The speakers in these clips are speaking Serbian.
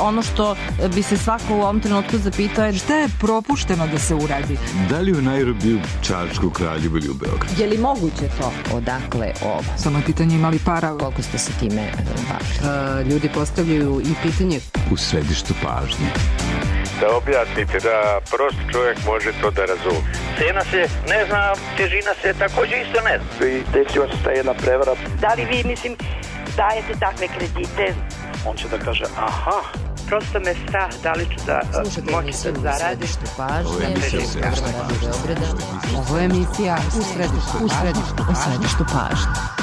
ono što bi se svako u ovom trenutku zapitao je šta je propušteno da se uradi. Da li u Nairobiju, Čačku, Kraljevu ili u Beogradu? Je li moguće to? Odakle ovo? Samo je pitanje imali para. Koliko ste se time bavili? Ljudi postavljaju i pitanje. U središtu pažnje. Da objasnite, da prost čovjek može to da razumije. Cena se ne zna, težina se također isto ne zna. I desila se ta jedna prevara. Da li vi, dajete takve kredite? On će da kaže, aha. Prosto me strah, da li ću da moći da zaradim. Ovo je emisija u središtu pažnje.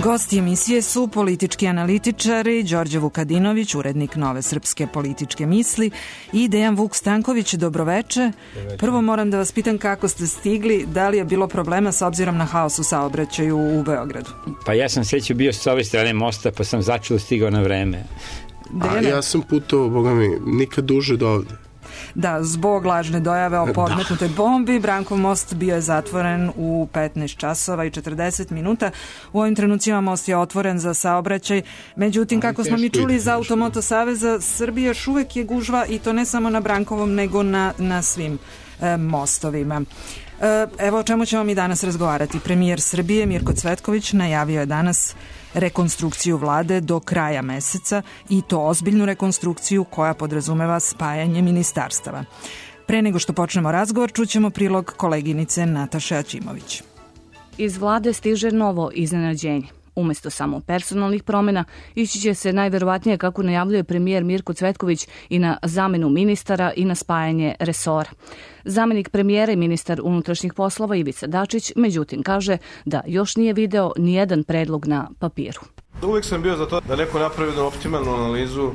Gosti emisije su politički analitičari Đorđe Vukadinović, urednik Nove srpske političke misli, i Dejan Vuk Stanković. Dobroveče. Prvo moram da vas pitam kako ste stigli, da li je bilo problema s obzirom na haos u saobraćaju u Beogradu? Pa ja sam sreću bio s ove strane mosta, pa sam začelo stigao na vreme. Ja sam putovao, boga mi, nikad duže do ovde. Da, zbog lažne dojave o podmetnutoj bombi, Brankov most bio je zatvoren u 15 časova i 40 minuta. U ovim trenucima most je otvoren za saobraćaj. Međutim, kako smo mi čuli iz Automoto saveza, Srbije još uvek je gužva, i to ne samo na Brankovom, nego na svim mostovima. Evo o čemu ćemo mi danas razgovarati. Premijer Srbije Mirko Cvetković najavio je danas rekonstrukciju vlade do kraja meseca, i to ozbiljnu rekonstrukciju koja podrazumeva spajanje ministarstava. Pre nego što počnemo razgovor, čućemo prilog koleginice Nataše Aćimović. Iz vlade stiže novo iznenađenje. Umesto samo personalnih promjena, ići će se najverovatnije, kako najavljuje premijer Mirko Cvetković, i na zamenu ministara i na spajanje resora. Zamenik premijera i ministar unutrašnjih poslova Ivica Dačić, međutim, kaže da još nije video nijedan predlog na papiru. Uvijek sam bio za to da neko napravi jednu optimalnu analizu,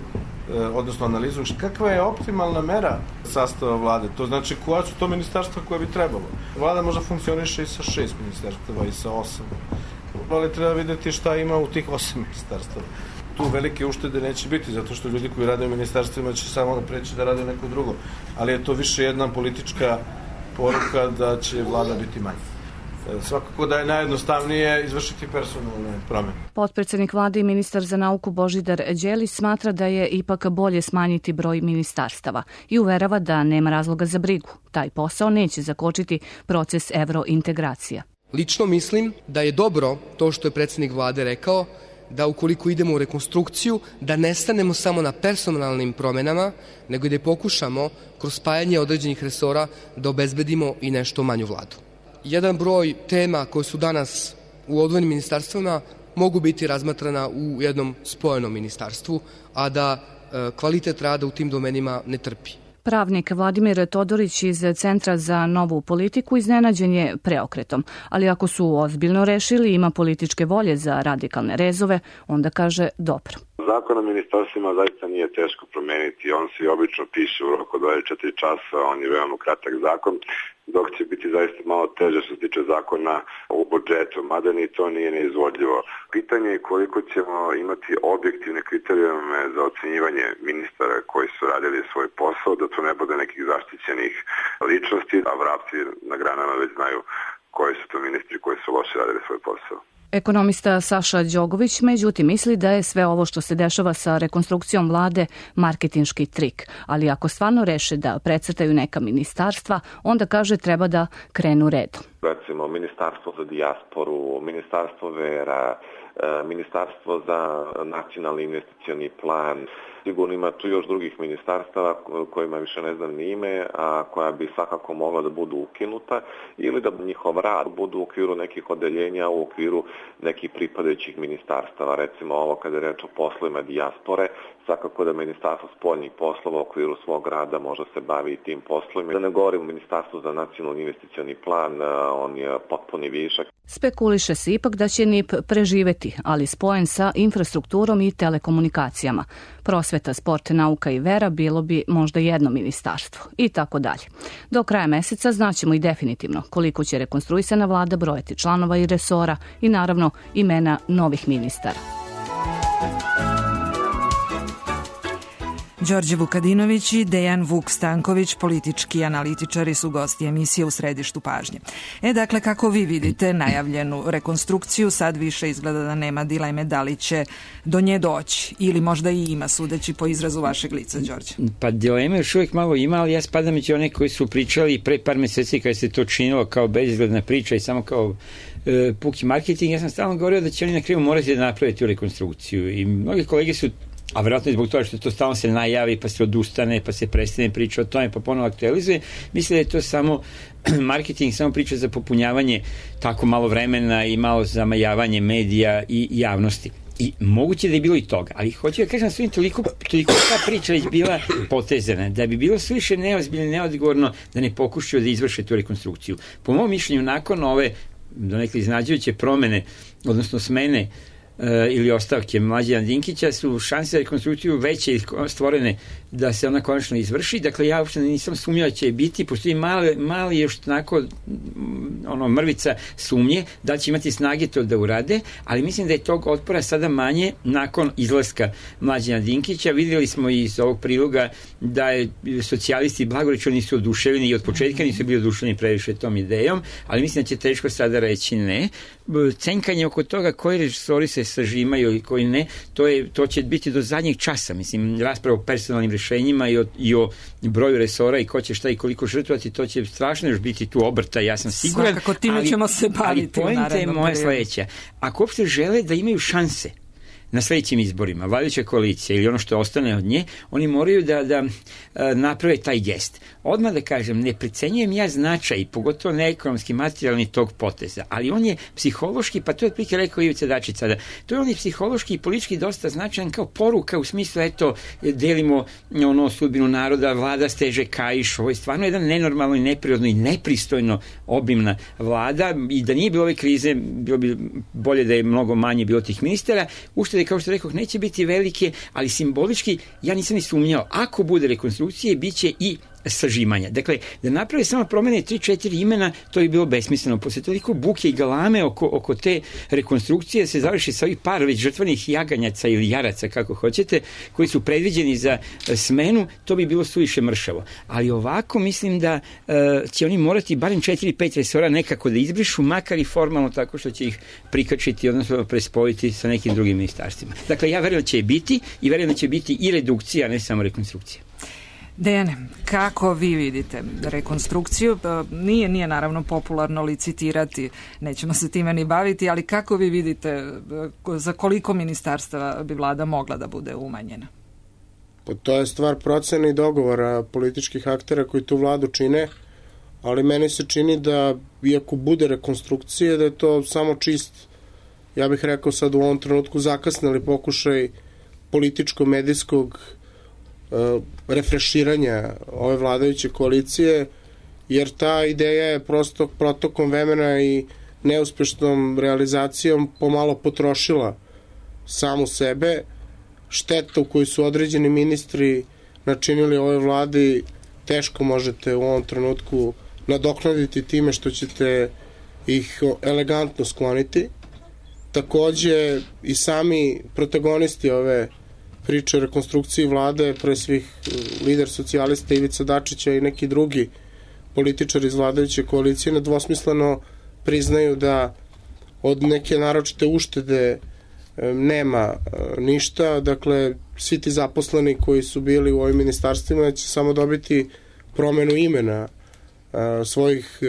kakva je optimalna mera sastava vlade. To znači koja su to ministarstva koje bi trebalo. Vlada možda funkcioniše i sa 6 ministarstava i sa 8. Ali treba vidjeti šta ima u tih 8 ministarstava. Tu velike uštede neće biti, zato što ljudi koji rade u ministarstvima će samo preći da rade neko drugo. Ali je to više jedna politička poruka da će vlada biti manja. Svakako da je najjednostavnije izvršiti personalne promjene. Potpredsjednik vlade i ministar za nauku Božidar Đelić smatra da je ipak bolje smanjiti broj ministarstava i uverava da nema razloga za brigu. Taj posao neće zakočiti proces evrointegracija. Lično mislim da je dobro to što je predsjednik vlade rekao, da ukoliko idemo u rekonstrukciju, da ne stanemo samo na personalnim promjenama, nego i da pokušamo kroz spajanje određenih resora da obezbedimo i nešto manju vladu. Jedan broj tema koje su danas u odvojenim ministarstvima mogu biti razmatrana u jednom spojenom ministarstvu, a da kvalitet rada u tim domenima ne trpi. Pravnik Vladimir Todorić iz Centra za novu politiku iznenađen je preokretom, ali ako su ozbiljno rešili, ima političke volje za radikalne rezove, onda kaže dobro. Zakon o ministarstvima zaista nije teško promeniti, on se obično piše u roku 24 časa, on je veoma kratak zakon, dok će biti zaista malo teže što se tiče zakona u budžetu, mada ni to nije neizvodljivo. Pitanje je koliko ćemo imati objektivne kriterijume za ocenjivanje ministara koji su radili svoj posao, da to ne bude nekih zaštićenih ličnosti, a vrapci na granama već znaju koji su to ministri koji su loše radili svoj posao. Ekonomista Saša Đogović, međutim, misli da je sve ovo što se dešava sa rekonstrukcijom vlade marketinški trik, ali ako stvarno reše da precrtaju neka ministarstva, onda kaže treba da krenu redom. Recimo, ministarstvo za dijasporu, ministarstvo vera, ministarstvo za nacionalni investicioni plan. Sigurno ima tu još drugih ministarstava kojima više ne znam ni ime, a koja bi svakako mogla da budu ukinuta ili da njihov rad budu u okviru nekih odeljenja, u okviru nekih pripadajućih ministarstava. Recimo ovo kada je reč o poslovima dijaspore, svakako da ministarstvo spoljnih poslova u okviru svog rada može se bavi i tim poslovima. Da ne govorim o ministarstvu za nacionalni investicioni plan, on je potpuni višak. Spekuliše se ipak da će NIP preživeti, ali spojen sa infrastrukturom i telekomunikacijama. Prosveta, sport, nauka i vera bilo bi možda jedno ministarstvo i tako dalje. Do kraja meseca znaćemo i definitivno koliko će rekonstruisana vlada brojati članova i resora i naravno imena novih ministara. Đorđe Vukadinović i Dejan Vuk Stanković, politički analitičari, su gosti emisije U središtu pažnje. Dakle, kako vi vidite najavljenu rekonstrukciju? Sad više izgleda da nema dileme da li će do nje doći, ili možda i ima, sudeći po izrazu vašeg lica, Đorđe. Pa dileme još uvijek malo ima, ali ja spadam među one koji su pričali pre par meseci kada se to činilo kao bezizgledna priča i samo kao puki marketing. Ja sam stalno govorio da će oni na kraju morati da naprave tu rekonstrukciju i mnogi kolege su, a vjerojatno zbog toga što to stalno se najavi, pa se odustane, pa se prestane priča o tome, pa ponovo aktualizuje, misle da je to samo marketing, samo priča za popunjavanje tako malo vremena i malo zamajavanje medija i javnosti. I moguće da je bilo i toga, ali hoću da kažem svim toliko ta priča već bila potezana, da bi bilo suviše neozbiljno, neodgovorno da ne pokušaju da izvrše tu rekonstrukciju. Po mom mišljenju, nakon ove donekle iznenađujuće promene, odnosno smene ili ostavke Mlađana Dinkića, su šanse za rekonstrukciju veće stvorene da se ona konačno izvrši. Dakle, ja uopšte nisam sumnjao da će biti, postoji mali još onako mrvica sumnje da će imati snage to da urade, ali mislim da je tog otpora sada manje nakon izlaska Mlađana Dinkića. Vidjeli smo iz ovog priloga da je socijalisti blagorečeno nisu oduševljeni i od početka nisu bili oduševljeni previše tom idejom, ali mislim da će teško sada reći ne. Cenkanje oko toga koji režisori se sažimaju i koji ne, to će biti do zadnjeg časa. Mislim, rasprava o personalnim rešenjima i o broju resora i ko će šta i koliko žrtvovati, to će strašno još biti tu obrta, ja sam siguran. Svakako time ćemo se baviti u narednom periodu. Ali poenta je moja sledeća. Ako uopšte žele da imaju šanse na sledećim izborima, vladajuća koalicija ili ono što ostane od nje, oni moraju da naprave taj gest. Odmah da kažem, ne precenjujem ja značaj, pogotovo ne ekonomski, materijalni tog poteza, ali on je psihološki, pa to je otprilike rekao Ivica Dačić sada, to je on je psihološki i politički dosta značajan kao poruka u smislu, eto, delimo sudbinu naroda, vlada steže kaiš, ovo je stvarno jedan nenormalno i neprirodno i nepristojno obimna vlada i da nije bilo ove krize, bilo bi bolje da je mnogo manje bilo tih ministara. Uštede, kao što rekao, neće biti velike, ali simbolički ja nisam ni sumnjao. Ako bude rekonstrukcije, bit će i sažimanja. Dakle, da naprave samo promene 3-4 imena, to je bilo besmisleno. Posle toliko buke i galame oko te rekonstrukcije se završi sa ovih par već žrtvenih jaganjaca ili jaraca, kako hoćete, koji su predviđeni za smenu, to bi bilo suviše mršavo. Ali ovako mislim da će oni morati barem 4-5 resora nekako da izbrišu, makar i formalno tako što će ih prikačiti, odnosno prespojiti sa nekim drugim ministarstvima. Dakle, ja verujem da će biti i verujem da će biti i redukcija, ne samo rekonstrukcija. Dejane, kako vi vidite rekonstrukciju? Nije naravno popularno licitirati, nećemo se time ni baviti, ali kako vi vidite za koliko ministarstava bi vlada mogla da bude umanjena? Pa to je stvar procene i dogovora političkih aktera koji tu vladu čine, ali meni se čini da iako bude rekonstrukcije, da je to samo čist, ja bih rekao sad u ovom trenutku zakasnili pokušaj političko-medijskog refreširanja ove vladajuće koalicije, jer ta ideja je prosto protokom vremena i neuspešnom realizacijom pomalo potrošila samu sebe. Štetu koju su određeni ministri načinili ovoj vladi teško možete u ovom trenutku nadoknaditi time što ćete ih elegantno skloniti. Takođe i sami protagonisti ove priče o rekonstrukciji vlade, pre svih lider socijalista Ivica Dačića i neki drugi političari iz vladajuće koalicije nedvosmisleno priznaju da od neke naročite uštede nema ništa. Dakle, svi ti zaposleni koji su bili u ovim ministarstvima će samo dobiti promenu imena svojih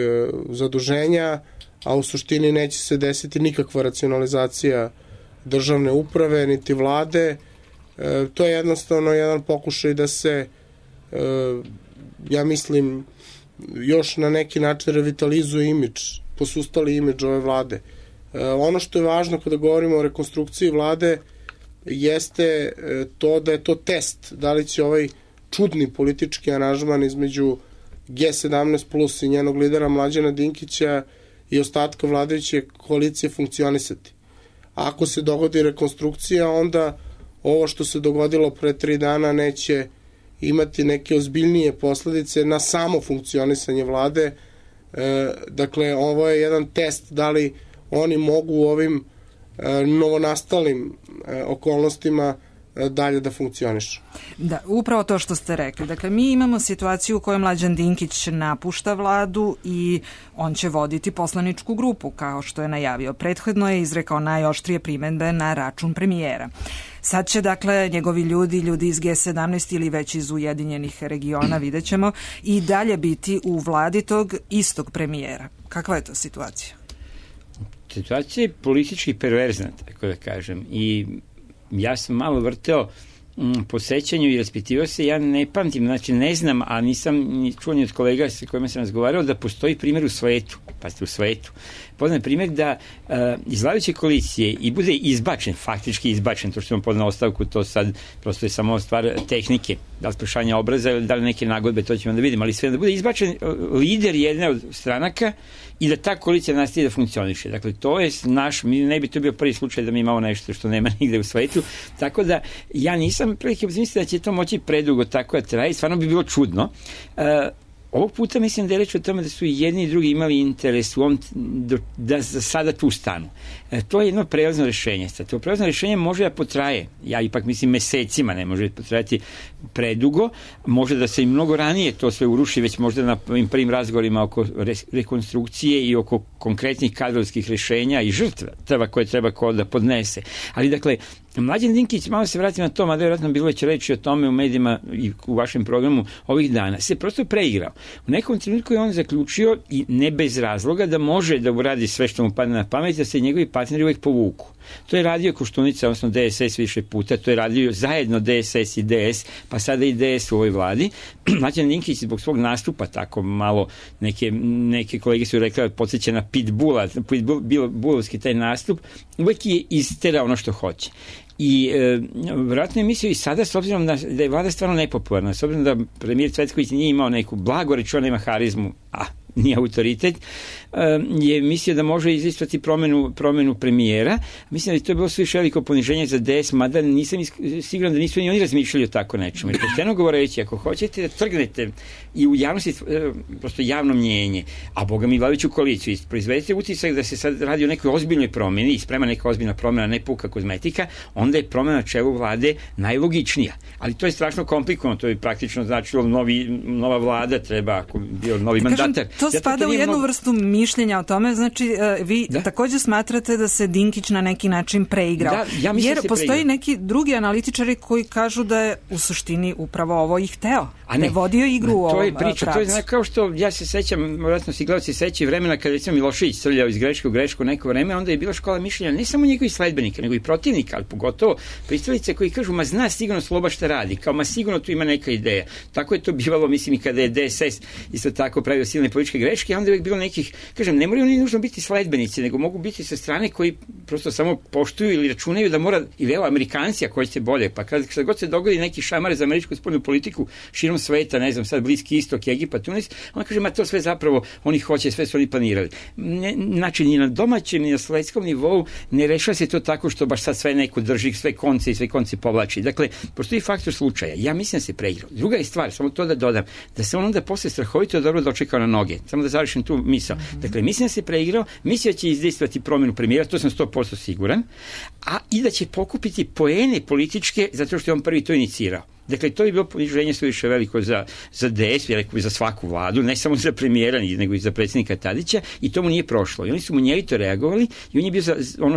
zaduženja, a u suštini neće se desiti nikakva racionalizacija državne uprave niti vlade. To je jednostavno jedan pokušaj da se, ja mislim, još na neki način revitalizuje imidž, posustali imidž ove vlade. Ono što je važno kada govorimo o rekonstrukciji vlade jeste to da je to test, da li će ovaj čudni politički aranžman između G17 plus i njenog lidera Mlađana Dinkića i ostatka vladajuće koalicije funkcionisati. Ako se dogodi rekonstrukcija, onda ovo što se dogodilo pre 3 dana neće imati neke ozbiljnije posledice na samo funkcionisanje vlade. Dakle, ovo je jedan test da li oni mogu u ovim novonastalim okolnostima dalje da funkcionišu. Da, upravo to što ste rekli. Dakle, mi imamo situaciju u kojoj Mlađan Dinkić napušta vladu i on će voditi poslaničku grupu, kao što je najavio. Prethodno je izrekao najoštrije primedbe na račun premijera. Sad će, dakle, njegovi ljudi iz G17 ili već iz Ujedinjenih regiona, vidjet ćemo, i dalje biti u vladi tog istog premijera. Kakva je to situacija? Situacija je politički perverzna, tako da kažem, i ja sam malo vrteo po sećanju i raspitivao se, ja ne pamtim, znači ne znam, a nisam ni čuo ni od kolega sa kojima sam razgovarao da postoji primjer u svetu, pazite, u svetu. Poznam primjer da iz vladajuće koalicije i bude izbačen, faktički izbačen, to što vam podao ostavku, to sad prosto je samo stvar tehnike, da li sprešanja obraza ili da li neke nagodbe, to ćemo da vidimo, ali sve da bude izbačen lider jedne od stranaka i da ta koalicija nastavi da funkcioniše. Dakle, to je ne bi to bio prvi slučaj da mi imamo nešto što nema nigde u svetu, tako da ja nisam prilike misliti da će to moći predugo tako da traje, stvarno bi bilo čudno. Ovog puta mislim da je reč o tome da su i jedni i drugi imali interes da za sada tu stanu. To je jedno prelazno rješenje. To prelazno rješenje može da potraje, ja ipak mislim mesecima, ne može potrajati predugo, može da se i mnogo ranije to sve uruši, već možda na ovim prvim razgovorima oko rekonstrukcije i oko konkretnih kadrovskih rješenja i žrtva koje treba ko da podnese. Ali dakle, Mlađan Dinkić, malo se vratim na to, mada vjerojatno bilo već reći o tome u medijima i u vašem programu ovih dana, se prosto preigrao. U nekom trenutku je on zaključio, i ne bez razloga, da može da uradi sve što mu padne na pamet, da se njegovi partneri uvijek povuku. To je radio Koštunica, odnosno DSS više puta, to je radio zajedno DSS i DS, pa sada i DS u ovoj vladi. Mlađan Dinkić zbog svog nastupa, tako malo, neke kolege su rekli, podsjeća na pitbulovski taj nastup, uvijek je isterao ono što hoće. I vjerojatno je mislio i sada, s obzirom da je vlada stvarno nepopularna, s obzirom da premijer Cvetković nije imao neku blagoreč, on nema harizmu, nije autoritet, je mislio da može izistvati promenu premijera. Mislim da je to bilo sve veliko poniženje za DS, mada nisam siguran da nisu ni oni razmišljali o tako nečemu. Jer pošteno govoreći, ako hoćete da trgnete i u javnosti prosto javno mnjenje, a boga mi vladajuću koaliciju, proizvedete utisak da se sad radi o nekoj ozbiljnoj promjeni i sprema neka ozbiljna promjena, ne puka kozmetika, onda je promjena na čelu vlade najlogičnija. Ali to je strašno komplikovano, to je praktično značilo nova vlada treba, ako bio novi mandatar. To spada u jednu vrstu mišljenja o tome, znači vi također smatrate da se Dinkić na neki način preigrao. Ja jer postoji neki drugi analitičari koji kažu da je u suštini upravo ovo i hteo. Ne vodio igru u ovom pravcu. To je kao što ja se sećam, vjerojatno si gledalci sećaju vremena kada je Milošević srljao iz greške u grešku neko vreme, onda je bila škola mišljenja ne samo njegovih sledbenika, nego i protivnika, ali pogotovo pristalice koji kažu, ma zna sigurno Sloba šta radi, kao ma sigurno tu ima neka ideja. Tako je to bivalo, mislim, i kada je DSS isto tako pravio silne političke greške, a onda je uvijek bilo nekih, kažem, ne moraju oni nužno biti sledbenici, nego mogu biti sa strane koji prosto samo poštuju ili računaju da mora, ili evo Amerikanci ako hoćete bolje, pa kad god se dogodi neki šamar za američku spoljnu politiku širom sveta, ne znam, sad Bliski istok, Egipat, Tunis, on kaže, ma to sve zapravo oni hoće, sve su oni planirali. Znači, ni na domaćem, ni na svetskom nivou ne rešava se to tako što baš sad sve neko drži, sve konce povlači. Dakle, postoji faktor slučaja. Ja mislim da se preigrao. Druga je stvar, samo to da dodam, da se on onda posle strahovito dobro dočekao na noge. Samo da završim tu misao. Dakle, mislim da se preigrao, mislim da će izdejstvati promjenu premijera, to sam 100% siguran, a i da će pokupiti poene političke zato što je on prvi to inicirao. Dakle, to je bilo poniženje suviše veliko za DS, rekao bi za svaku vladu, ne samo za premijera, nego i za predsjednika Tadića, i to mu nije prošlo. I oni su mu njelito reagovali i on je bio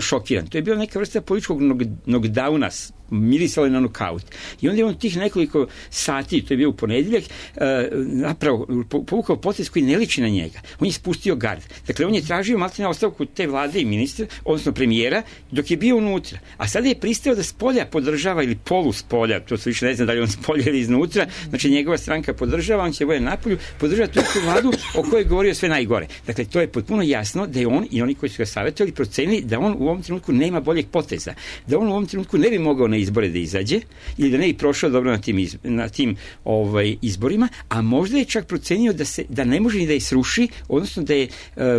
šokiran. To je bila neka vrsta političkog knockdowna, mirisalo je na nokaut. I onda je on tih nekoliko sati, to je bio u ponedjeljak, napravo povukao potez koji ne liči na njega. On je spustio gard. Dakle, on je tražio maltene ostavku te vlade i ministra, odnosno premijera, dok je bio unutra. A sada je pristao da spolja podržava ili polu spolja, to se više ne zna da li on spolja ili iznutra, znači njegova stranka podržava, on će bude napolju, podržava tu vladu o kojoj je govorio sve najgore. Dakle, to je potpuno jasno da je on i oni koji su ga savjetovali procenili da on u ovom trenutku nema boljeg poteza. Da on u ovom trenutku ne bi mogao na izbore da izađe ili da ne bi prošao dobro na tim izborima, a možda je čak procenio da ne može ni da je sruši, odnosno da je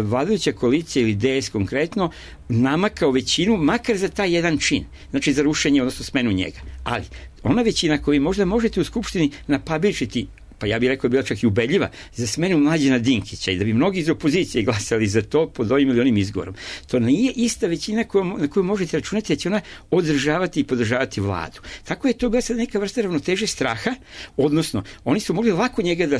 vladajuća koalicija ili DS konkretno namakao većinu, makar za taj jedan čin, znači za rušenje, odnosno smenu njega. Ali ona većina koju možda možete u Skupštini napabičiti pa ja bih rekao bila čak i ubedljiva, za smenu Mlađana Dinkića i da bi mnogi iz opozicije glasali za to pod ovim ili onim izgovorom. To nije ista većina na koju možete računati da će ona održavati i podržavati vladu. Tako je to bila sad neka vrsta ravnoteže straha, odnosno oni su mogli lako njega da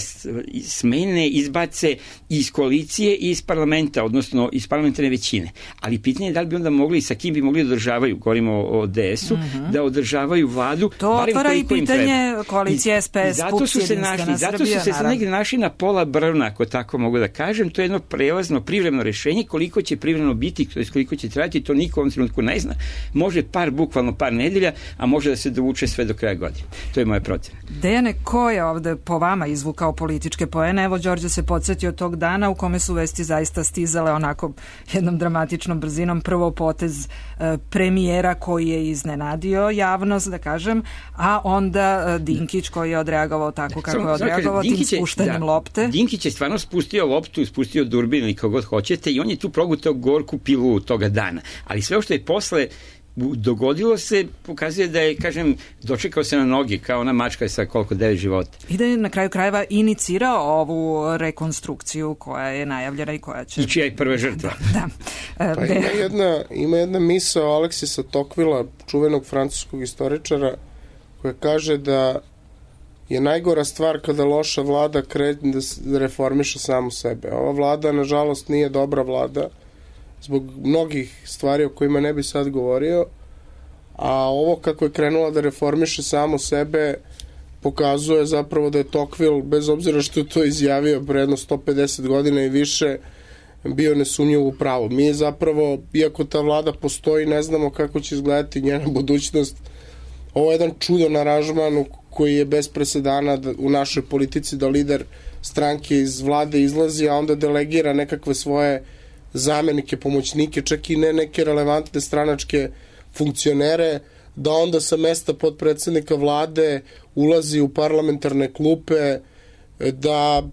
smene, izbace iz koalicije i iz parlamenta, odnosno iz parlamentarne većine. Ali pitanje je da li bi onda mogli, sa kim bi mogli da održavaju, govorimo o DS-u, da održavaju vladu. To otvara i pitanje koalicije SPS, zato su se negdje našli na pola brvna, ako tako mogu da kažem. To je jedno prelazno, privremeno rešenje. Koliko će privremeno biti, to je koliko će trajati, to niko u ovom trenutku ne zna. Može bukvalno par nedelja, a može da se dovuče sve do kraja godine. To je moja procena. Dejane, ko je ovde po vama izvukao političke poene? Evo, Đorđe se podsjetio tog dana u kome su vesti zaista stizale onako jednom dramatičnom brzinom. Prvo potez premijera koji je iznenadio javnost, da kažem, a onda Dinkić koji je odreagovao tako kako je odreagovao, tim spuštanjem lopte. Dinkić je stvarno spustio loptu, spustio durbin ili kako god hoćete i on je tu progutao gorku pilu toga dana. Ali sve što je posle dogodilo se, pokazuje da je, kažem, dočekao se na noge kao ona mačka sa koliko 9 života. I da je na kraju krajeva inicirao ovu rekonstrukciju koja je najavljena i koja će... I čija je prva žrtva. Da. Pa ima jedna misao Aleksisa Tocquevillea, čuvenog francuskog istoričara, koja kaže da je najgora stvar kada loša vlada krene da reformiše samu sebe. Ova vlada, nažalost, nije dobra vlada zbog mnogih stvari o kojima ne bi sad govorio, a ovo kako je krenula da reformiše samo sebe pokazuje zapravo da je Tocqueville, bez obzira što je to izjavio pre jedno 150 godina i više, bio nesumnjivo u pravu. Mi zapravo, iako ta vlada postoji, ne znamo kako će izgledati njena budućnost. Ovo je jedan čudan aranžman koji je bez presedana u našoj politici, da lider stranke iz vlade izlazi, a onda delegira nekakve svoje zamenike, pomoćnike, čak i ne neke relevantne stranačke funkcionere, da onda sa mesta potpredsednika vlade ulazi u parlamentarne klupe, da,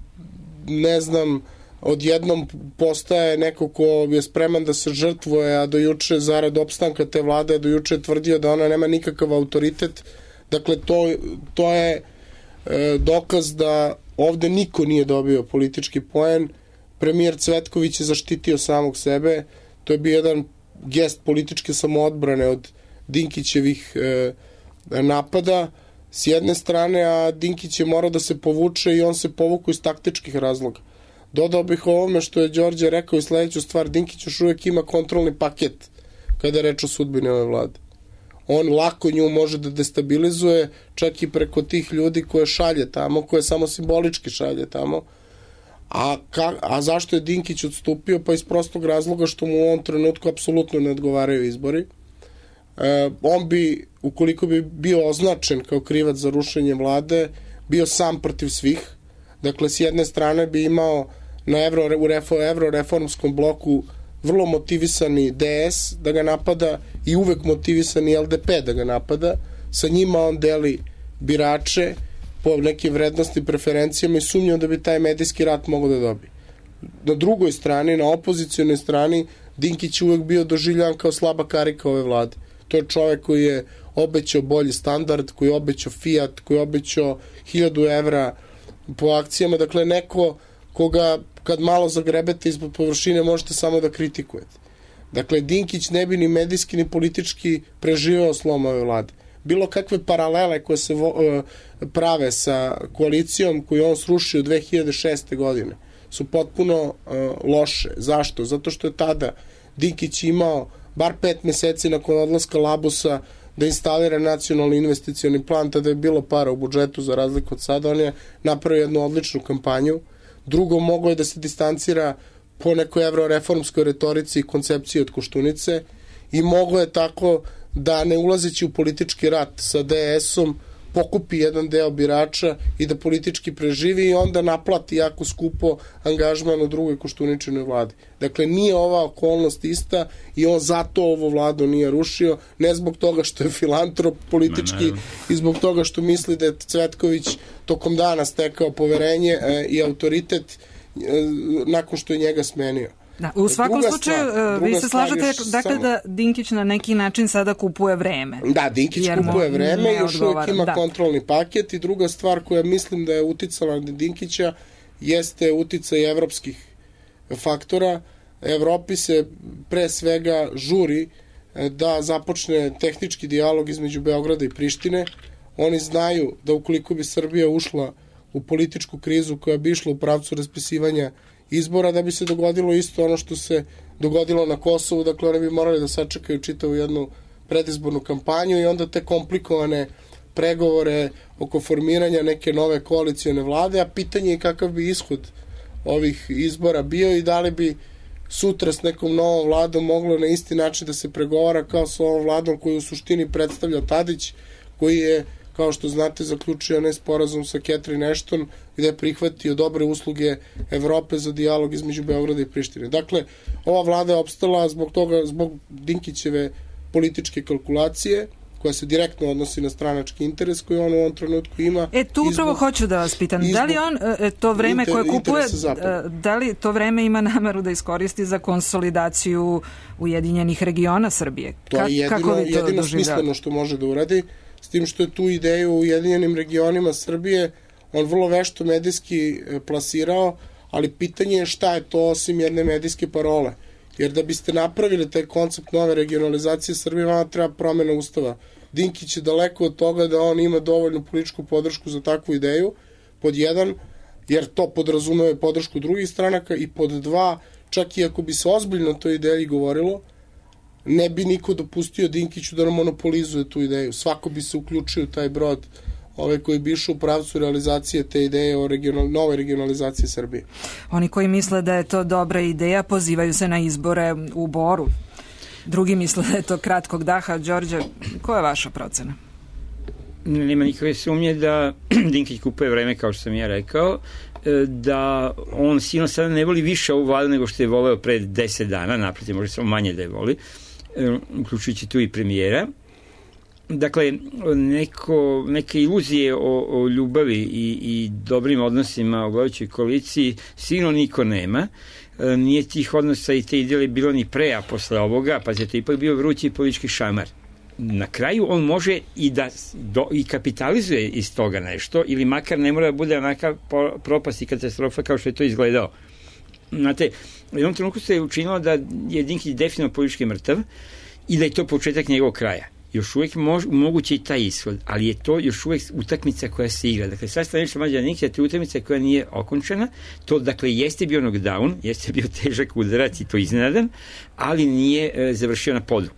ne znam, odjednom postaje neko ko je spreman da se žrtvuje, a do juče zarad opstanka te vlade, do juče je tvrdio da ona nema nikakav autoritet. Dakle, to je dokaz da ovde niko nije dobio politički poen. Premijer Cvetković je zaštitio samog sebe. To je bio jedan gest političke samoodbrane od Dinkićevih napada s jedne strane, a Dinkić je morao da se povuče i on se povuku iz taktičkih razloga. Dodao bih ovome što je Đorđe rekao i sledeću stvar, Dinkić još uvijek ima kontrolni paket kada je reč o sudbini ove vlade. On lako nju može da destabilizuje, čak i preko tih ljudi koje šalje tamo, koje samo simbolički šalje tamo. A zašto je Dinkić odstupio? Pa iz prostog razloga što mu u ovom trenutku apsolutno ne odgovaraju izbori. On bi, ukoliko bi bio označen kao krivac za rušenje vlade, bio sam protiv svih. Dakle, s jedne strane bi imao na evroreformskom bloku vrlo motivisani DS da ga napada i uvek motivisani LDP da ga napada. Sa njima on deli birače po nekim vrednosti, preferencijama i sumnjam da bi taj medijski rat mogao da dobije. Na drugoj strani, na opozicijonoj strani, Dinkić je uvek bio doživljavan kao slaba karika ove vlade. To je čovek koji je obećao bolji standard, koji je obećao Fiat, koji je obećao 1000 evra po akcijama. Dakle, neko koga kad malo zagrebete ispod površine možete samo da kritikujete. Dakle, Dinkić ne bi ni medijski ni politički preživeo slom ove vlade. Bilo kakve paralele koje se prave sa koalicijom koju on srušio 2006. godine su potpuno loše. Zašto? Zato što je tada Dinkić imao bar 5 meseci nakon odlaska Labusa da instalira nacionalni investicioni plan, tada je bilo para u budžetu za razliku od sada. On je napravio jednu odličnu kampanju. Drugo, moglo je da se distancira po nekoj evroreformskoj retorici i koncepciji od Koštunice i moglo je tako da ne ulazeći u politički rat sa DS-om pokupi jedan deo birača i da politički preživi i onda naplati jako skupo angažman u drugoj Koštuničinoj vladi. Dakle, nije ova okolnost ista i on zato ovo vladu nije rušio, ne zbog toga što je filantrop politički i zbog toga što misli da je Cvetković tokom dana stekao poverenje i autoritet nakon što je njega smenio. Da, u svakom slučaju, vi se slažete dakle da Dinkić na neki način sada kupuje vreme. Da, Dinkić kupuje vreme i još uvijek ima kontrolni paket i druga stvar koja mislim da je uticala na Dinkića jeste uticaj evropskih faktora. Evropi se pre svega žuri da započne tehnički dijalog između Beograda i Prištine. Oni znaju da ukoliko bi Srbija ušla u političku krizu koja bi išla u pravcu raspisivanja izbora, da bi se dogodilo isto ono što se dogodilo na Kosovu, dakle oni bi morali da sačekaju čitavu jednu predizbornu kampanju i onda te komplikovane pregovore oko formiranja neke nove koalicione vlade, a pitanje je kakav bi ishod ovih izbora bio i da li bi sutra s nekom novom vladom moglo na isti način da se pregovara kao s ovom vladom koju u suštini predstavlja Tadić, koji je, kao što znate, zaključio nesporazum sa Catherine Ashton gde je prihvatio dobre usluge Evrope za dijalog između Beograda i Prištine. Dakle, ova vlada je opstala zbog Dinkićeve političke kalkulacije, koja se direktno odnosi na stranački interes koji on u ovom trenutku ima. Tu upravo hoću da vas pitam, da li on to vreme koje kupuje, da li to vreme ima nameru da iskoristi za konsolidaciju Ujedinjenih regiona Srbije? To je jedino smisleno što može da uradi, s tim što je tu ideju u Ujedinjenim regionima Srbije on vrlo vešto medijski plasirao, ali pitanje je šta je to osim jedne medijske parole. Jer da biste napravili taj koncept nove regionalizacije Srbije, vama treba promjena ustava. Dinkić je daleko od toga da on ima dovoljnu političku podršku za takvu ideju, pod jedan, jer to podrazumeva podršku drugih stranaka, i pod dva, čak i ako bi se ozbiljno toj ideji govorilo, ne bi niko dopustio Dinkiću da monopolizuje tu ideju. Svako bi se uključio u taj brod koji bi išao u pravcu realizacije te ideje o nove regionalizacije Srbije. Oni koji misle da je to dobra ideja pozivaju se na izbore u Boru. Drugi misle da je to kratkog daha. Đorđe, koja je vaša procena? Nema nikakve sumnje da Dinkić kupuje vreme, kao što sam ja rekao, da on sigurno sada ne voli više ovu vladu nego što je voleo pre 10 dana, naprotiv, može samo manje da je voli, uključujući tu i premijera. Dakle, neke iluzije o ljubavi i dobrim odnosima u vladajućoj koaliciji sigurno niko nema. Nije tih odnosa i te ideje bilo ni pre, a posle ovoga, pa je to ipak bio vrući politički šamar. Na kraju on može i da i kapitalizuje iz toga nešto, ili makar ne mora da bude onaka propast i katastrofa kao što je to izgledao. Znate, u jednom trenutku se je učinilo da je Dinkić definitivno politički mrtav i da je to početak njegovog kraja. Još uvijek moguće i taj ishod, ali je to još uvijek utakmica koja se igra. Dakle, sad stanično Mlađana Dinkića, to je utakmica koja nije okončena. To, dakle, jeste bio knockdown, jeste bio težak udarac i to iznenadan, ali nije završio na podu.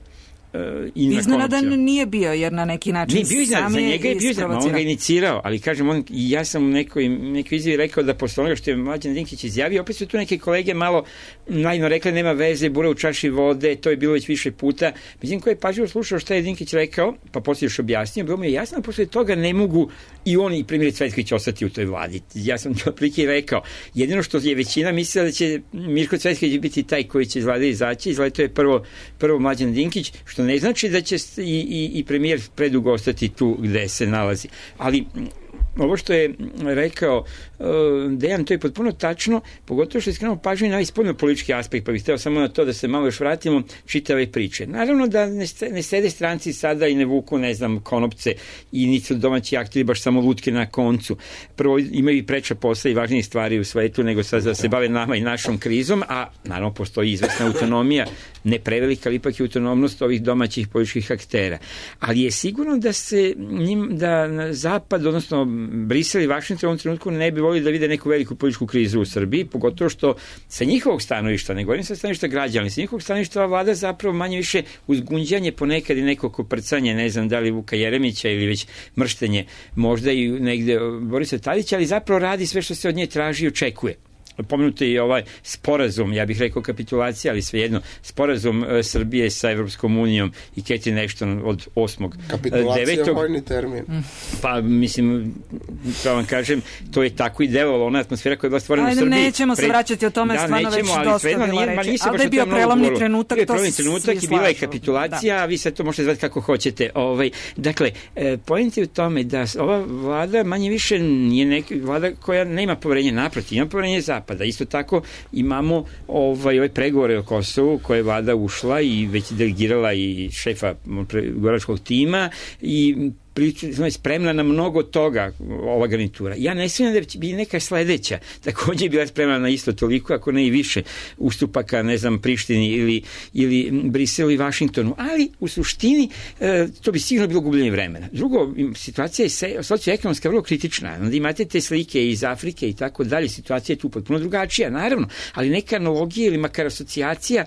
Iznenadan nije bio, jer na neki način sam je isprovocirao. On ga inicirao, ali kažem, ja sam u nekoj izjavi rekao da posle onoga što je Mlađan Dinkić izjavio, opet su tu neke kolege malo naivno rekli nema veze, bura u čaši vode, to je bilo već više puta. Mislim, ko je pažljivo slušao šta je Dinkić rekao, pa poslije još objasnio, bilo mi je jasno, posle toga ne mogu i on i premijer Cvetković ostati u toj vladi. Ja sam to prike rekao. Jedino što je većina mislila da će Mirko Cvetković biti taj koji će iz vlade izaći, izgleda to je prvo Mlađan Dinkić, što ne znači da će i premijer predugo ostati tu gde se nalazi. Ali ovo što je rekao Dejan, to je potpuno tačno, pogotovo što je skrenuo pažnju na ovaj spoljno politički aspekt, pa bih hteo samo na to da se malo još vratimo čitave priče. Naravno da ne sede stranci sada i ne vuku, ne znam, konopce i nisu domaći akteri baš samo lutke na koncu. Prvo imaju i preča posla i važnije stvari u svetu nego sad da se bave nama i našom krizom, a naravno postoji izvesna autonomija, ne prevelika, ali ipak je autonomnost ovih domaćih političkih aktera. Ali je sigurno da Zapad, odnosno Brisel i Vašington u ovom trenutku ne bi volili da vide neku veliku političku krizu u Srbiji, pogotovo što sa njihovog stanovišta, ne govorim sa stanovišta građana, sa njihovog stanovišta ova vlada zapravo manje više uzgunđanje ponekad i neko koprcanje, ne znam da li Vuka Jeremića ili već mrštenje možda i negde Borisa Tadića, ali zapravo radi sve što se od nje traži i očekuje. Pomenuti je ovaj sporazum, ja bih rekao kapitulacija, ali svejedno, sporazum Srbije sa Evropskom unijom i Catherine Ashton od 8.9. Kapitulacija je vojni termin. Pa, mislim, da vam kažem, to je tako i delovalo, ona atmosfera koja je bila stvorena u Srbiji. Nećemo se vraćati o tome, stvarno već dosta bila reći. Ali da je bio prelomni trenutak, to se svi slažu. I bila je kapitulacija, a vi sad to možete zvati kako hoćete. Dakle, point je u tome da ova vlada manje više nije neka vlada koja nema poverenja, naprotiv, ima poverenje Zapad. napada. Isto tako imamo ove pregovore o Kosovu koje je vlada ušla i već delegirala i šefa pregovaračkog tima i je spremna na mnogo toga ova garnitura. Ja ne smijem da bi neka sledeća takođe bila spremna na isto toliko, ako ne i više ustupaka, ne znam, Prištini ili Briselu i Vašingtonu, ali u suštini to bi sigurno bilo gubljenje vremena. Drugo, situacija je socioekonomska vrlo kritična. Onda imate te slike iz Afrike i tako dalje, situacija je tu potpuno drugačija, naravno, ali neka analogija ili makar asocijacija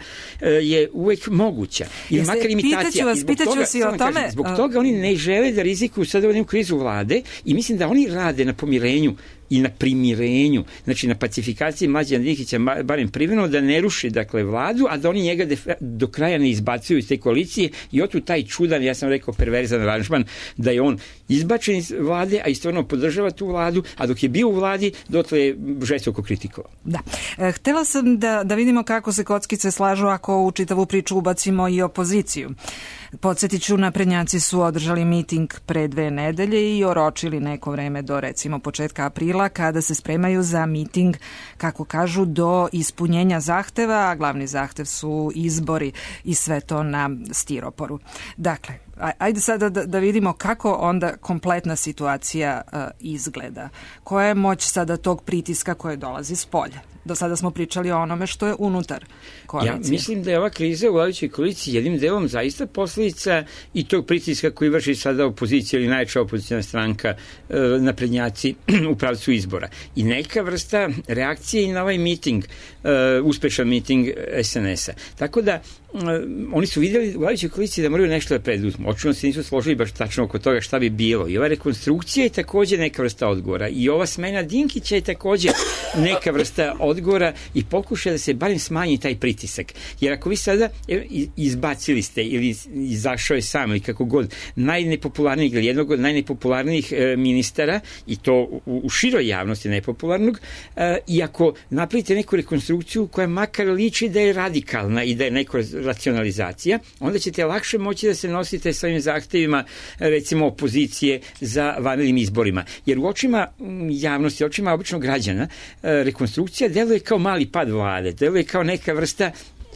je uvek moguća. Ili makar imitacija. Pitaću vas i o tome. Zbog toga oni ne žele da rizikuju sada ovom krizu vlade i mislim da oni rade na pomirenju i na primirenju, znači na pacifikaciji Mlađana Dinkića, barem privremeno, da ne ruši dakle vladu, a da oni njega do kraja ne izbacuju iz te koalicije i otu taj čudan, ja sam rekao perverzan aranžman, da je on izbačen iz vlade, a istovremeno podržava tu vladu, a dok je bio u vladi, dotle je žestoko kritikovao. Da. Htela sam da vidimo kako se kockice slažu ako u čitavu priču ubacimo i opoziciju. Podsjetit ću, naprednjaci su održali miting pre 2 nedelje i oročili neko vreme do recimo početka aprila kada se spremaju za miting, kako kažu, do ispunjenja zahteva, a glavni zahtev su izbori i sve to na stiroporu. Dakle, ajde sada da vidimo kako onda kompletna situacija izgleda. Koja je moć sada tog pritiska koje dolazi s polja? Do sada smo pričali o onome što je unutar koalicije. Ja mislim da je ova kriza u vladajućoj koaliciji jednim delom zaista posljedica i tog pritiska koji vrši sada opozicija ili najjača opozicijna stranka, naprednjaci u pravcu izbora. I neka vrsta reakcije i na ovaj miting, uspešan miting SNS-a. Tako da oni su vidjeli u vladajućoj koaliciji da moraju nešto da preduzmu. Očigledno se nisu složili baš tačno oko toga šta bi bilo. I ova rekonstrukcija je takođe neka vrsta odgovora. I ova smena Dinkića je takođe neka vrsta odgovora i pokušaj da se barem smanji taj pritisak. Jer ako vi sada izbacili ste ili izašao je sam ili kako god najnepopularnijeg ili jednog od najnepopularnijih ministara i to u široj javnosti nepopularnog, i ako napravite neku rekonstrukciju koja makar liči da je radikalna i da je neko racionalizacija, onda ćete lakše moći da se nosite s ovim zahtevima, recimo, opozicije za vanrednim izborima. Jer u očima javnosti, u očima običnog građana, rekonstrukcija deluje kao mali pad vlade, deluje kao neka vrsta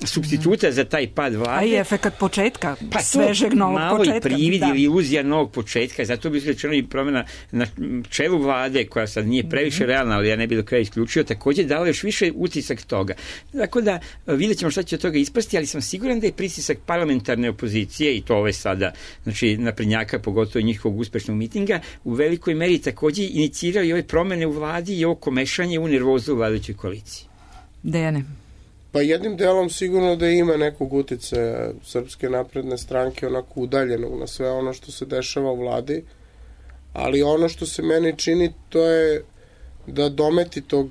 supstituta za taj pad vlade. A i efekat početka, svežeg novog početka. Malo i privid ili iluzija novog početka, zato bi rečeno i promjena na čelu vlade, koja sad nije previše realna, ali ja ne bi do kraja isključio, takođe dala još više utisak toga. Tako da vidjet ćemo šta će od toga ispasti, ali sam siguran da je pritisak parlamentarne opozicije, i to ove sada, znači naprednjaka, pogotovo njihovog uspešnog mitinga, u velikoj meri takođe inicirao i ove promene u vladi i ovo komešanje u nervozu u vladajućoj koaliciji. Dejane. Pa jednim delom sigurno da ima nekog uticaja Srpske napredne stranke, onako udaljenog na sve ono što se dešava u vladi, ali ono što se meni čini to je da dometi tog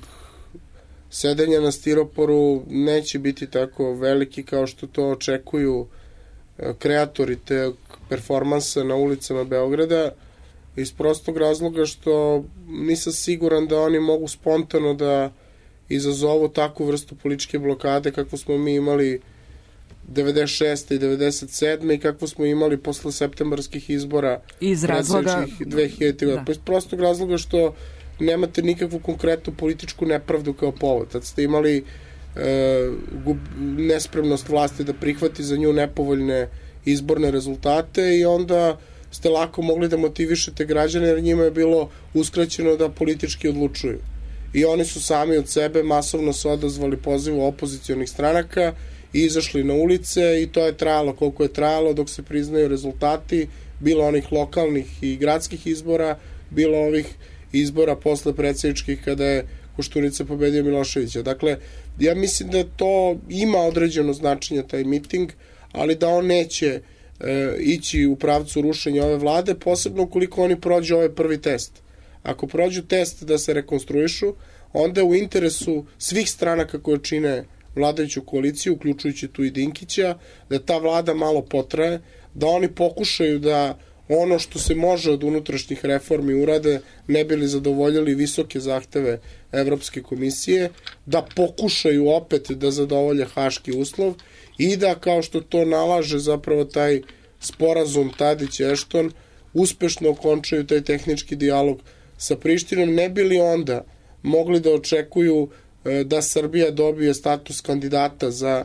sedenja na stiroporu neće biti tako veliki kao što to očekuju kreatori te performansa na ulicama Beograda, iz prostog razloga što nisam siguran da oni mogu spontano da izazovu takvu vrstu političke blokade kakvu smo mi imali 96. i 97. i kakvu smo imali posle septembarskih izbora iz razloga 2000. Da. Iz prostog razloga što nemate nikakvu konkretnu političku nepravdu kao povod. Tad ste imali nespremnost vlasti da prihvati za nju nepovoljne izborne rezultate i onda ste lako mogli da motivišete građane jer njima je bilo uskraćeno da politički odlučuju. I oni su sami od sebe masovno se odazvali pozivu opozicionih stranaka i izašli na ulice i to je trajalo koliko je trajalo dok se priznaju rezultati, bilo onih lokalnih i gradskih izbora, bilo ovih izbora posle predsjedničkih kada je Koštunica pobedio Miloševića. Dakle, ja mislim da to ima određeno značenje taj miting, ali da on neće ići u pravcu rušenja ove vlade, posebno ukoliko oni prođu ovaj prvi test. Ako prođu test da se rekonstruišu, onda u interesu svih stranaka koje čine vladajuću koaliciju, uključujući tu i Dinkića, da ta vlada malo potraje, da oni pokušaju da ono što se može od unutrašnjih reformi urade, ne bili zadovoljili visoke zahteve Evropske komisije, da pokušaju opet da zadovolje haški uslov i da, kao što to nalaže zapravo taj sporazum Tadić-Ešton, uspešno okončaju taj tehnički dijalog sa Prištinom, ne bili onda mogli da očekuju da Srbija dobije status kandidata za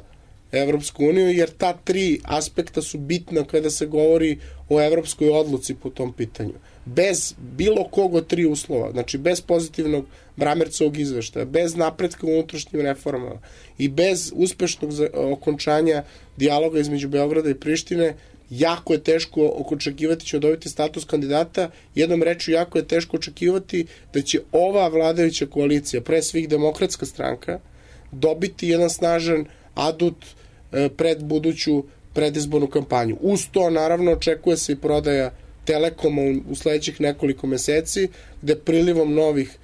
Evropsku uniju, jer ta 3 aspekta su bitna kada se govori o evropskoj odluci po tom pitanju. Bez bilo kog od 3 uslova, znači bez pozitivnog Bramercovog izveštaja, bez napretka u unutrašnjim reformama i bez uspešnog okončanja dijaloga između Beograda i Prištine, jako je teško očekivati ćemo dobiti status kandidata. Jednom rečju, jako je teško očekivati da će ova vladajuća koalicija, pre svih Demokratska stranka, dobiti jedan snažan adut pred buduću predizbornu kampanju. Uz to, naravno, očekuje se i prodaja Telekoma u sledećih nekoliko meseci, gde prilivom novih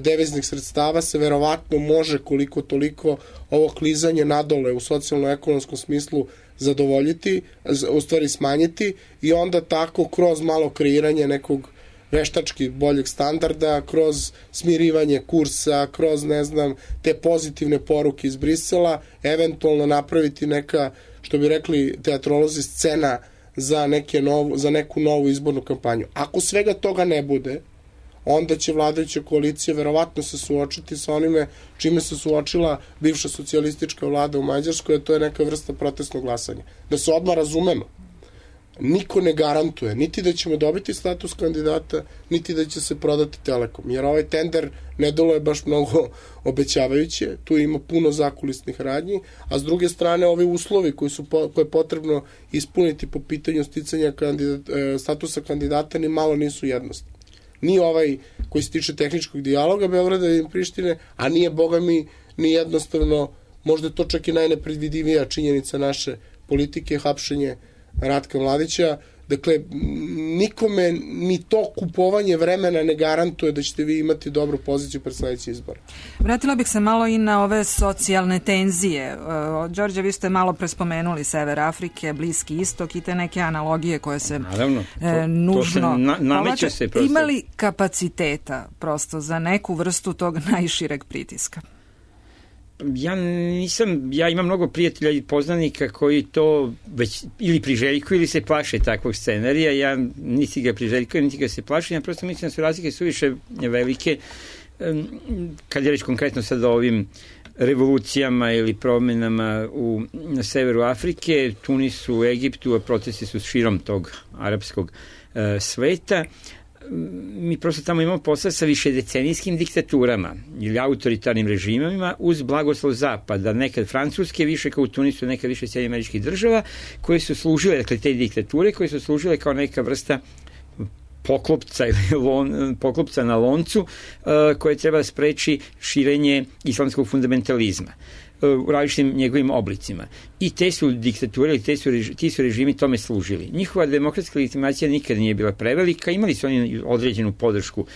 deviznih sredstava se verovatno može koliko toliko ovo klizanje nadole u socijalno-ekonomskom smislu zadovoljiti, u stvari smanjiti, i onda tako kroz malo kreiranje nekog veštački boljeg standarda, kroz smirivanje kursa, kroz, ne znam, te pozitivne poruke iz Brisela, eventualno napraviti neka, što bi rekli teatrolozi, scena za neku novu izbornu kampanju. Ako svega toga ne bude, onda će vladajuća koalicija verovatno se suočiti sa onime čime se suočila bivša socijalistička vlada u Mađarskoj, a to je neka vrsta protestnog glasanja. Da se odmah razumemo, niko ne garantuje niti da ćemo dobiti status kandidata, niti da će se prodati Telekom, jer ovaj tender ne deluje baš mnogo obećavajuće, tu ima puno zakulisnih radnji, a s druge strane ovi uslovi koje je potrebno ispuniti po pitanju sticanja statusa kandidata ni malo nisu jednostavni. Ni ovaj koji se tiče tehničkog dijaloga Beograda i Prištine, a nije, boga mi, ni jednostavno, možda je to čak i najnepredvidivija činjenica naše politike, hapšenje Ratka Mladića. Dakle, nikome ni to kupovanje vremena ne garantuje da ćete vi imati dobru poziciju pred sledeći izbor. Vratila bih se malo i na ove socijalne tenzije. Đorđe, vi ste malo prespomenuli Sever Afrike, Bliski istok i te neke analogije koje se nužno nameće se prosto. Ima li kapaciteta prosto za neku vrstu tog najšireg pritiska? Ja imam mnogo prijatelja i poznanika koji to već ili priželjkuju ili se plaše takvog scenarija. Ja niti ga priželjkujem, niti ga se plašim. Ja prosto mislim da su razlike suviše velike. Kad je reč konkretno sad o ovim revolucijama ili promenama na severu Afrike, Tunisu, Egiptu, a protesti su širom tog arapskog sveta. Mi prosto tamo imamo posla sa višedecenijskim diktaturama ili autoritarnim režimima uz blagoslov Zapada, nekad Francuske, više kao u Tunisu, nekad više Sjedinjenih Američkih Država, koje su služile, dakle te diktature, koje su služile kao neka vrsta poklopca na loncu koje treba da spreči širenje islamskog fundamentalizma u različitim njegovim oblicima. I te su diktature, ti su režimi tome služili. Njihova demokratska legitimacija nikad nije bila prevelika, imali su oni određenu podršku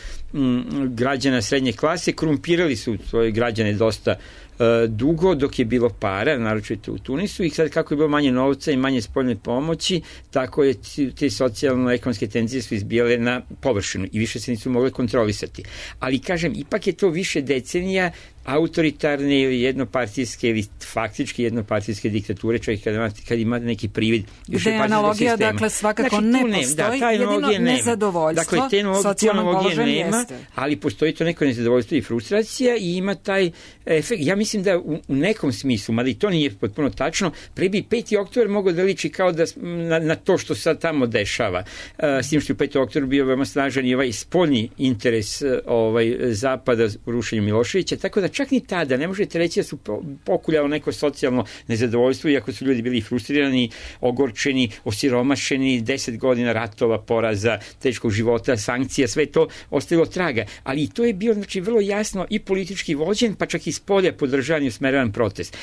građana srednje klase, korumpirali su svoje građane dosta dugo dok je bilo para, naročito u Tunisu, i sad kako je bilo manje novca i manje spoljne pomoći, tako je te socijalno-ekonomske tenzije su izbijale na površinu i više se nisu mogle kontrolisati. Ali kažem, ipak je to više decenija autoritarne ili jednopartijske ili faktički jednopartijske diktature, čovjek kad ima neki privid gde analogija, dakle, svakako ne postoji, jedino nezadovoljstvo, socijalnog položaja jeste. Ali postoji to neko nezadovoljstvo i frustracija i ima taj efekt. Ja mislim da u nekom smislu, mada i to nije potpuno tačno, pre bi 5. oktobar mogao da liči kao da na to što sad tamo dešava. S tim što je 5. oktobar bio veoma snažan i ovaj spoljni interes Zapada u rušenju Miloševića, tako da čak ni tada ne možete reći da su pokuljalo neko socijalno nezadovoljstvo, iako su ljudi bili frustrirani, ogorčeni, osiromašeni, 10 godina ratova, poraza, teškog života, sankcija, sve to ostavilo traga. Ali i to je bio, znači, vrlo jasno i politički vođen, pa čak i s polja podržavan i usmeravan protest.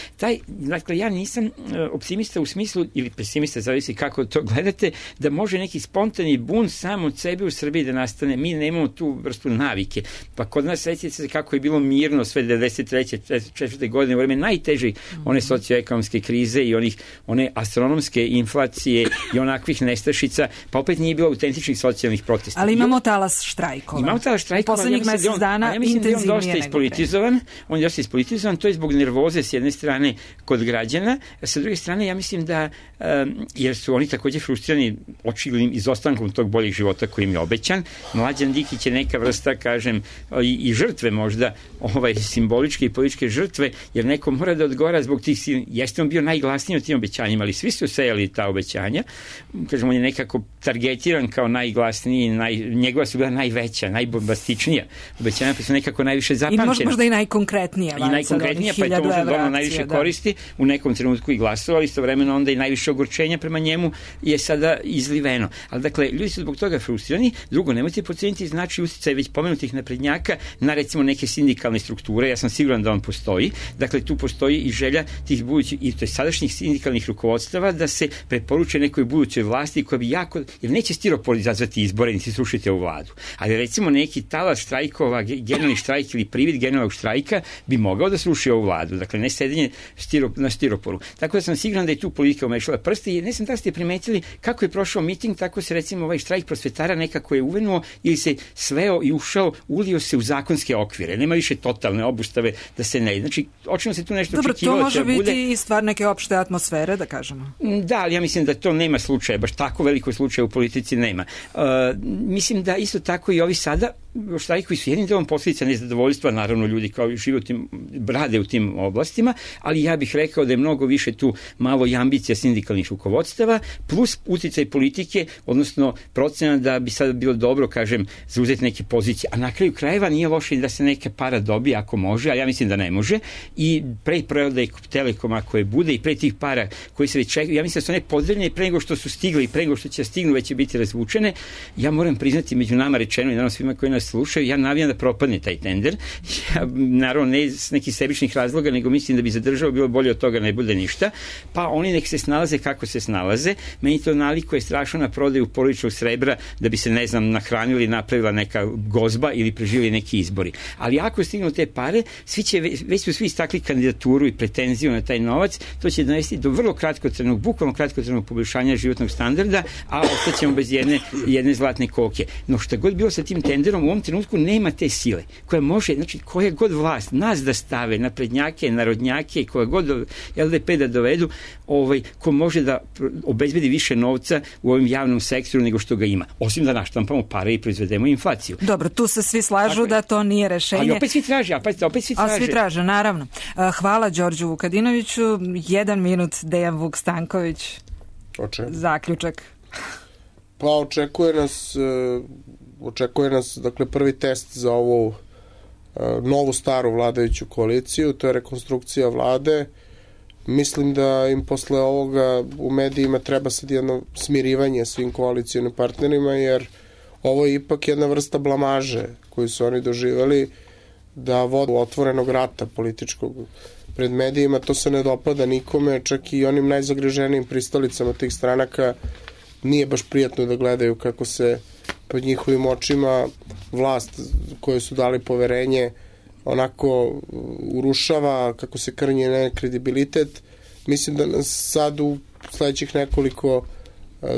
Dakle, ja nisam optimista u smislu, ili pesimista, zavisi kako to gledate, da može neki spontani bun sam od sebe u Srbiji da nastane. Mi nemamo tu vrstu navike. Pa kod nas, sećate se kako je bilo mirno sve 93. 4. godine, u vreme najteže one socioekonomske krize i one astronomske inflacije i onakvih nestašica, pa opet nije bilo autentičnih socijalnih protesta. Ali imamo talas štrajkova. Imamo talas štrajkova, poslednjih mesec dana intenzivnije nego pre. On je dosta ispolitizovan, to je zbog nervoze s jedne strane kod građana, a sa druge strane ja mislim da, jer su oni takođe frustrirani očiglednim izostankom tog boljeg života koji im je obećan. Mlađan Dinkić je neka vrsta, kažem, i žrtve možda, simboličke i političke žrtve, jer neko mora da odgovara zbog tih, jeste on bio najglasniji od tim obećanjima, ali svi su sejali ta obećanja. Kažem, on je nekako targetiran kao najglasniji, njegova su bila najveća, najbombastičnija obećanja, pa su nekako najviše zapamćena. I možda i najkonkretnija. I najkonkretnija, pa je to možda donalo najviše koristi, u nekom trenutku i glasovali, istovremeno onda i najviše ogorčenja prema njemu je sada izliveno. Ali dakle, ljudi su zbog toga frustrirani. Drugo, nemojte podceniti znači uticaj već pomenutih naprednjaka na recimo neke sindikalne strukture. Ja sam siguran da on postoji. Dakle, tu postoji i želja tih budućih i to je sadašnjih sindikalnih rukovodstava da se preporuče nekoj budućoj vlasti koja bi jako, jer neće stiropor izazvati izbore niti srušiti ovu vladu. Ali recimo neki talas štrajkova, generalni štrajk ili privid generalnog štrajka bi mogao da sruši ovu vladu. Dakle, ne sedenje na stiroporu. Tako da sam siguran da je tu politika umešala prste i ne znam da ste primetili kako je prošao miting, tako se recimo ovaj štrajk prosvetara nekako je uvenuo ili se sveo i ulio se u zakonske okvire. Nema više totalne obustave da se ne. Znači, očino se tu nešto očekivalo. Dobro, to može biti i stvar neke opšte atmosfere, da kažemo. Da, ali ja mislim da to nema slučaja, baš tako veliko slučaja u politici nema. Mislim da isto tako i ovi sada štrajkovi su jednim delom posljedica nezadovoljstva, naravno ljudi kao žive rade u tim oblastima, ali ja bih rekao da je mnogo više tu malo i ambicija sindikalnih rukovodstava, plus uticaj politike, odnosno procena da bi sad bilo dobro, kažem, zauzeti neke pozicije. A na kraju krajeva nije loše da se neka para dobije ako može, a ja mislim da ne može. I pre prodaje Telekoma koje bude i pre tih para koji se već čekaju, ja mislim da su one pozdravljene pre nego što su stigle i pre nego što će stignu već će biti razvučene. Ja moram priznati među nama rečeno i naravno svima koji nas slušaju, ja navijam da propadne taj tender. Ja, naravno, ne iz nekih sebičnih razloga, nego mislim da bi zadržao bilo bolje od toga ne bude ništa. Pa oni nek se snalaze kako se snalaze. Meni to naliko je strašno na prodaju porodičnog srebra da bi se, ne znam, nahranili, napravila neka gozba ili preživjeli neki izbori. Ali ako stignu te pare, već su svi istakli kandidaturu i pretenziju na taj novac, to će dovesti do vrlo kratkotrajnog, bukvalno kratkotrajnog poboljšanja životnog standarda, a ostaćemo bez jedne zlatne koke. No šta god bilo sa tim tenderom, u ovom trenutku nema te sile koja može, znači koja god vlast, nas da stave, naprednjake, narodnjake, koja god LDP da dovedu, ko može da obezbedi više novca u ovim javnom sektoru nego što ga ima. Osim da naštampamo pare i proizvedemo inflaciju. Dobro, tu se svi slažu da to nije rešenje. Ali opet svi traže, A svi traže, naravno. Hvala Đorđu Vukadinoviću. 1 minut Dejan Vuk Stanković. Zaključak. Pa očekuje nas dakle prvi test za ovu novu staru vladajuću koaliciju, to je rekonstrukcija vlade. Mislim da im posle ovoga u medijima treba sad jedno smirivanje svim koalicijonim partnerima, jer ovo je ipak jedna vrsta blamaže koju su oni doživeli, da vodu otvorenog rata političkog pred medijima. To se ne dopada nikome, čak i onim najzagriženijim pristalicama tih stranaka nije baš prijatno da gledaju kako se pod njihovim očima vlast koju su dali poverenje onako urušava, kako se krnje kredibilitet. Mislim da nas sad u sledećih nekoliko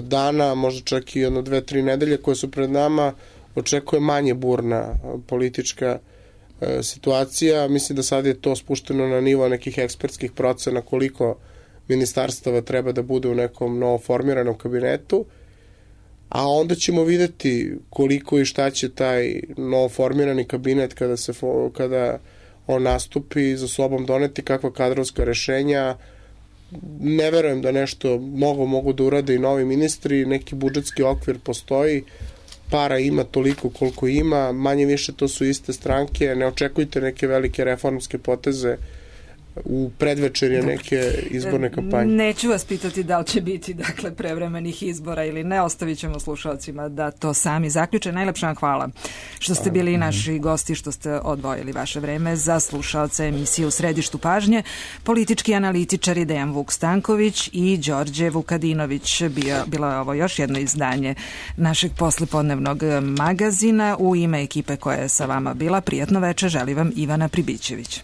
dana, možda čak i 2-3 nedelje koje su pred nama, očekuje manje burna politička situacija. Mislim da sad je to spušteno na nivo nekih ekspertskih procena koliko ministarstava treba da bude u nekom novoformiranom kabinetu, a onda ćemo videti koliko i šta će taj novoformirani kabinet kada on nastupi za sobom doneti, kakva kadrovska rešenja. Ne verujem da nešto mogu da urade i novi ministri, neki budžetski okvir postoji, para ima toliko koliko ima, manje više to su iste stranke, ne očekujte neke velike reformske poteze u predvečerje neke izborne kampanje. Neću vas pitati da li će biti prevremenih izbora ili ne, ostavit ćemo slušalcima da to sami zaključe. Najlepša vam hvala što ste bili naši gosti, što ste odvojili vaše vreme za slušalce emisije U središtu pažnje. Politički analitičari Dejan Vuk Stanković i Đorđe Vukadinović. Bilo je ovo još jedno izdanje našeg poslepodnevnog magazina. U ime ekipe koja je sa vama bila, prijatno veče želi vam Ivana Pribićević.